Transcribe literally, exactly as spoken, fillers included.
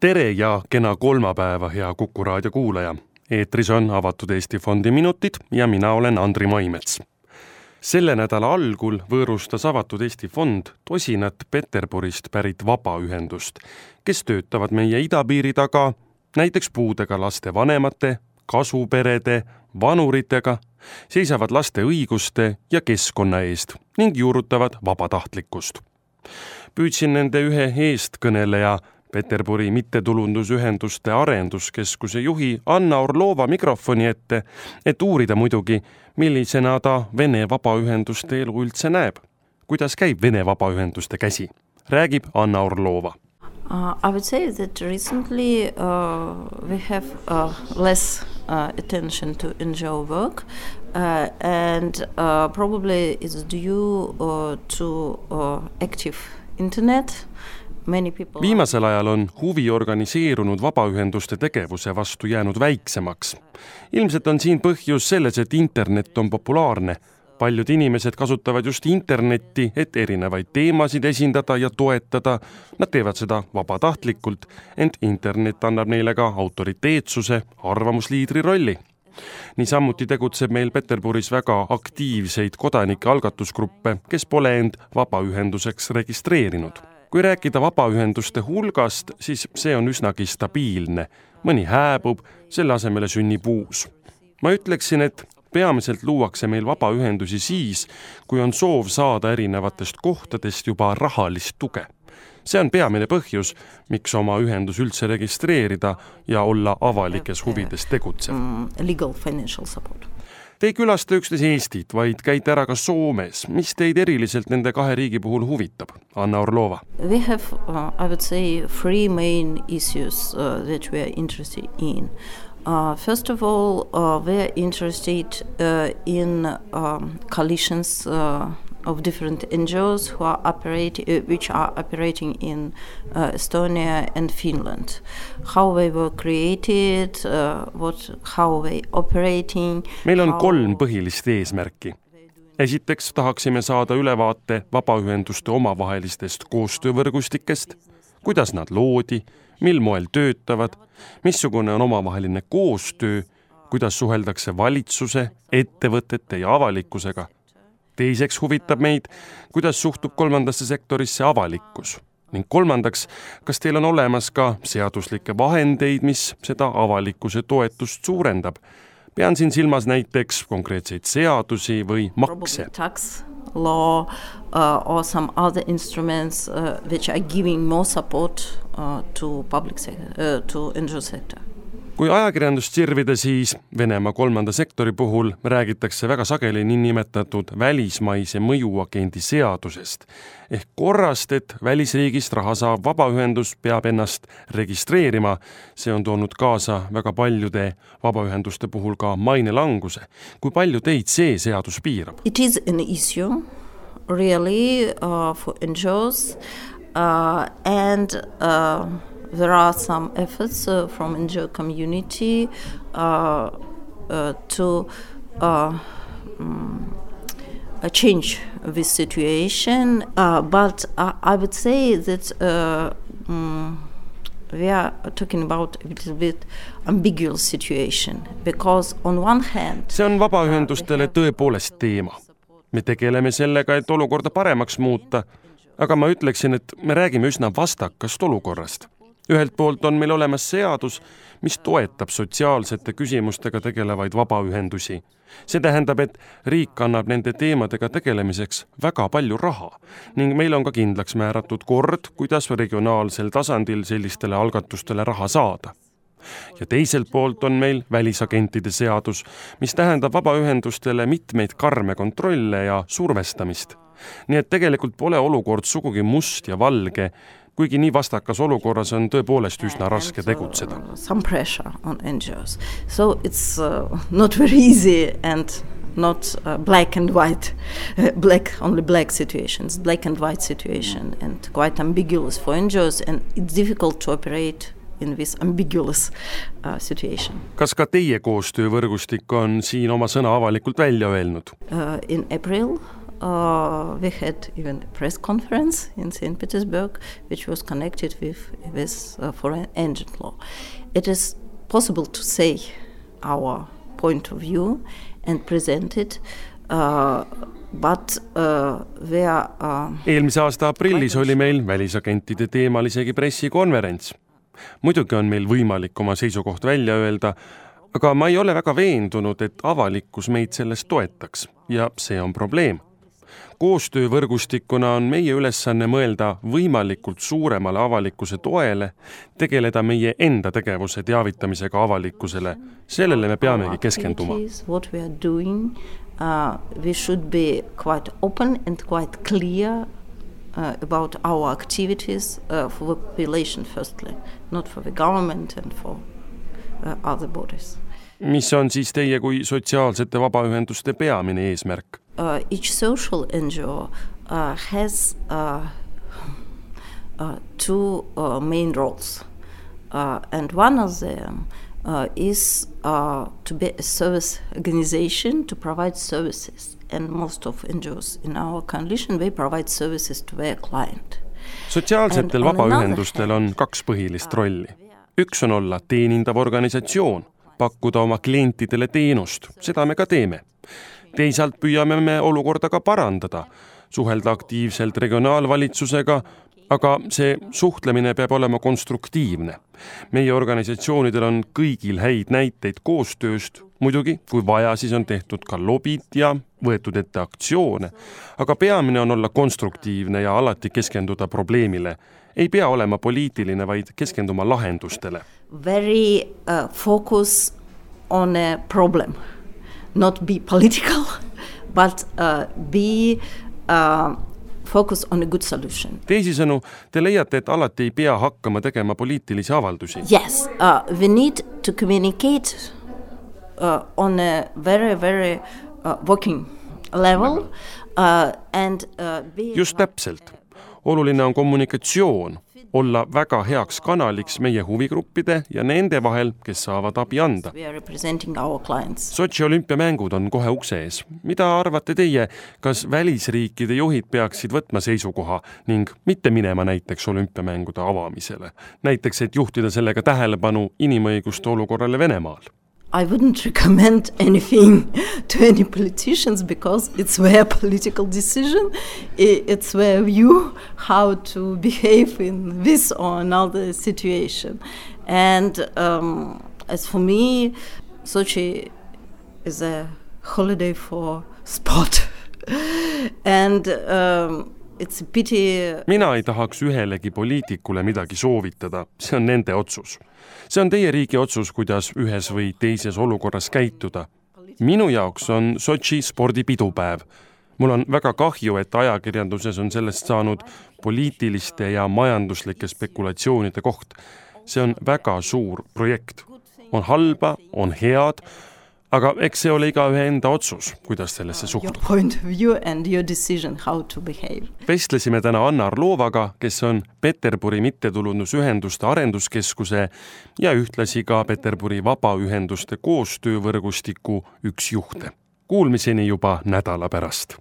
Tere ja kena kolmapäeva, hea Kuku raadio kuulaja. Eetris on Avatud Eesti Fondi minutid ja mina olen Andri Maimets. Selle nädala algul võõrustas Avatud Eesti Fond tosinat Peterburist pärit vabaühendust, kes töötavad meie idapiiri taga näiteks puudega laste vanemate, kasuperede, vanuritega, seisavad laste õiguste ja keskkonna eest ning juurutavad vabatahtlikkust. Püüdsin nende ühe eestkõneleja Peterburi mittetulundusühenduste arenduskeskuse juhi Anna Orlova mikrofoni ette, et uurida muidugi, millisena ta Vene vabaühenduste elu üldse näeb. Kuidas käib Vene vabaühenduste käsi? Räägib Anna Orlova. Uh, I would say that recently uh, we have uh, less uh, attention to N G O work uh, and uh, probably it's due uh, to uh, active internet. Viimasel ajal on huvi organiseerunud vabaühenduste tegevuse vastu jäänud väiksemaks. Ilmselt on siin põhjus selles, et internet on populaarne. Paljud inimesed kasutavad just internetti, et erinevaid teemasid esindada ja toetada. Nad teevad seda vabatahtlikult, ent internet annab neile ka autoriteetsuse, arvamusliidri rolli. Niisamuti tegutseb meil Peterburis väga aktiivseid kodanike algatusgruppe, kes pole end vabaühenduseks registreerinud. Kui rääkida vabaühenduste hulgast, siis see on üsnagi stabiilne. Mõni hääbub, selle asemele sünnib uus. Ma ütleksin, et peamiselt luuakse meil vabaühendusi siis, kui on soov saada erinevatest kohtadest juba rahalist tuge. See on peamine põhjus, miks oma ühendus üldse registreerida ja olla avalikes huvides tegutsev. Legal financial support. Te ei külasta üksnes Eestit, vaid käite ära ka Soomes. Mis teid eriliselt nende kahe riigi puhul huvitab? Anna Orlova. We have, uh, I would say, three main issues uh, that we are interested in. Uh, first of all, uh, we are interested uh, in um, coalitions uh, of different N G Os who are operate, uh, which are operating in uh, Estonia and Finland. How they were created, uh, what, how they operating. Meil on kolm põhilist eesmärki. Esiteks tahaksime saada ülevaate vabaühenduste omavahelistest koostöövõrgustikest, kuidas nad loodi, mil moel töötavad, missugune on omavaheline koostöö, kuidas suheldakse valitsuse, ettevõtete ja avalikkusega. Teiseks huvitab meid, kuidas suhtub kolmandasse sektorisse avalikkus. Ning kolmandaks, kas teil on olemas ka seaduslikke vahendeid, mis seda avalikkuse toetust suurendab? Pean siin silmas näiteks konkreetseid seadusi või makse. Tax law uh, or some other instruments uh, which are giving more support uh, to public sector, uh, to N G O sector. Kui ajakirjandust sirvida, siis Venemaa kolmanda sektori puhul räägitakse väga sageli niinimetatud välismaise mõjuagendi seadusest. Ehk korrast, et välisriigist raha saab vabaühendus peab ennast registreerima. See on toonud kaasa väga paljude vabaühenduste puhul ka mainelanguse. Kui palju teid see seadus piirab? It is an issue really uh, for N G Os uh, and uh, there are some efforts uh, from N G O community uh, uh, to uh, um, uh, change this situation, uh, but uh, I would say that uh, um, we are talking about a little bit ambiguous situation because on one hand see on vabaühendustele tõepoolest teema. Me tegeleme sellega, et olukorda paremaks muuta, aga ma ütleksin, et me räägime üsna vastakast olukorrast. Ühelt poolt on meil olemas seadus, mis toetab sotsiaalsete küsimustega tegelevaid vabaühendusi. See tähendab, et riik annab nende teemadega tegelemiseks väga palju raha ning meil on ka kindlaks määratud kord, kuidas regionaalsel tasandil sellistele algatustele raha saada. Ja teiselt poolt on meil välisagentide seadus, mis tähendab vabaühendustele mitmeid karme kontrolle ja survestamist. Nii et tegelikult pole olukord sugugi must ja valge, kuigi nii vastakas olukorras on tõepoolest üsna raske tegutseda. Some pressure on N G Os. So it's uh, not very easy and not uh, black and white, uh, black, only black situations, black and white situation and quite ambiguous for N G Os and it's difficult to operate in this ambiguous uh, situation. Kas ka teie koostöövõrgustik on siin oma sõna avalikult välja öelnud? Uh, in April uh, we had even a press conference in Saint Petersburg, which was connected with this uh, foreign agent law. It is possible to say our point of view and present it, uh, but uh, we are... Uh, Eelmise aasta aprillis oli meil välisagentide teemal isegi pressikonverents. Muidugi on meil võimalik oma seisukoht välja öelda, aga ma ei ole väga veendunud, et avalikkus meid sellest toetaks ja see on probleem. Koostöövõrgustikuna on meie ülesanne mõelda võimalikult suuremale avalikkuse toele, tegeleda meie enda tegevuse teavitamisega avalikkusele. Sellele me peamegi keskenduma. What we are doing, uh, we should be quite open and quite clear uh, about our activities uh, for the population firstly, not for the government and for uh, other bodies. Mis on siis teie kui sotsiaalsete vabaühenduste peamine eesmärk? Uh, each social N G O uh, has uh, uh, two uh, main roles, uh, and one of them uh, is uh, to be a service organization to provide services, and most of N G Os in our coalition, they provide services to their client. Sotsiaalsetel vabaühendustel on kaks põhilist rolli. Üks on olla teenindav organisatsioon, pakkuda oma klientidele teenust, seda me ka teeme. Teisalt püüame me olukorda ka parandada, suhelda aktiivselt regionaalvalitsusega, aga see suhtlemine peab olema konstruktiivne. Meie organisatsioonidel on kõigil häid näiteid koostööst, muidugi, kui vaja, siis on tehtud ka lobid ja võetud ette aktsioone, aga peamine on olla konstruktiivne ja alati keskenduda probleemile. Ei pea olema poliitiline, vaid keskenduma lahendustele. Very uh, focus on a problem. Not be political, but uh, be uh, focus on a good solution. Teisisõnu, te leiate, et alati ei pea hakkama tegema poliitilisi avaldusi. Yes, uh, we need to communicate uh, on a very, very uh, working level. Uh, and, uh, be Just täpselt. Oluline on kommunikatsioon, olla väga heaks kanaliks meie huvigruppide ja nende vahel, kes saavad abi anda. Sotši olümpiamängud on kohe ukse ees. Mida arvate teie, kas välisriikide juhid peaksid võtma seisukoha ning mitte minema näiteks olümpiamängude avamisele? Näiteks, et juhtida sellega tähelepanu inimõiguste olukorrale Venemaal? I wouldn't recommend anything to any politicians because it's their political decision. It's their view how to behave in this or another situation. And um, as for me, Sochi is a holiday for sport. And um, it's a pity. Mina ei tahaks ühelegi poliitikule midagi soovitada. See on nende otsus. See on teie riigi otsus, kuidas ühes või teises olukorras käituda. Minu jaoks on Sotši spordipidupäev. Mul on väga kahju, et ajakirjanduses on sellest saanud poliitiliste ja majanduslike spekulatsioonide koht. See on väga suur projekt. On halba, on head, aga eks see ole igaühe enda otsus, kuidas sellesse suhtuda. Your point of view and your decision how to behave. Vestlesime täna Anna Arlovaga, kes on Peterburi mittetulundusühenduste arenduskeskuse ja ühtlasi ka Peterburi vabaühenduste koostöövõrgustiku üks juhte. Kuulmiseni juba nädala pärast.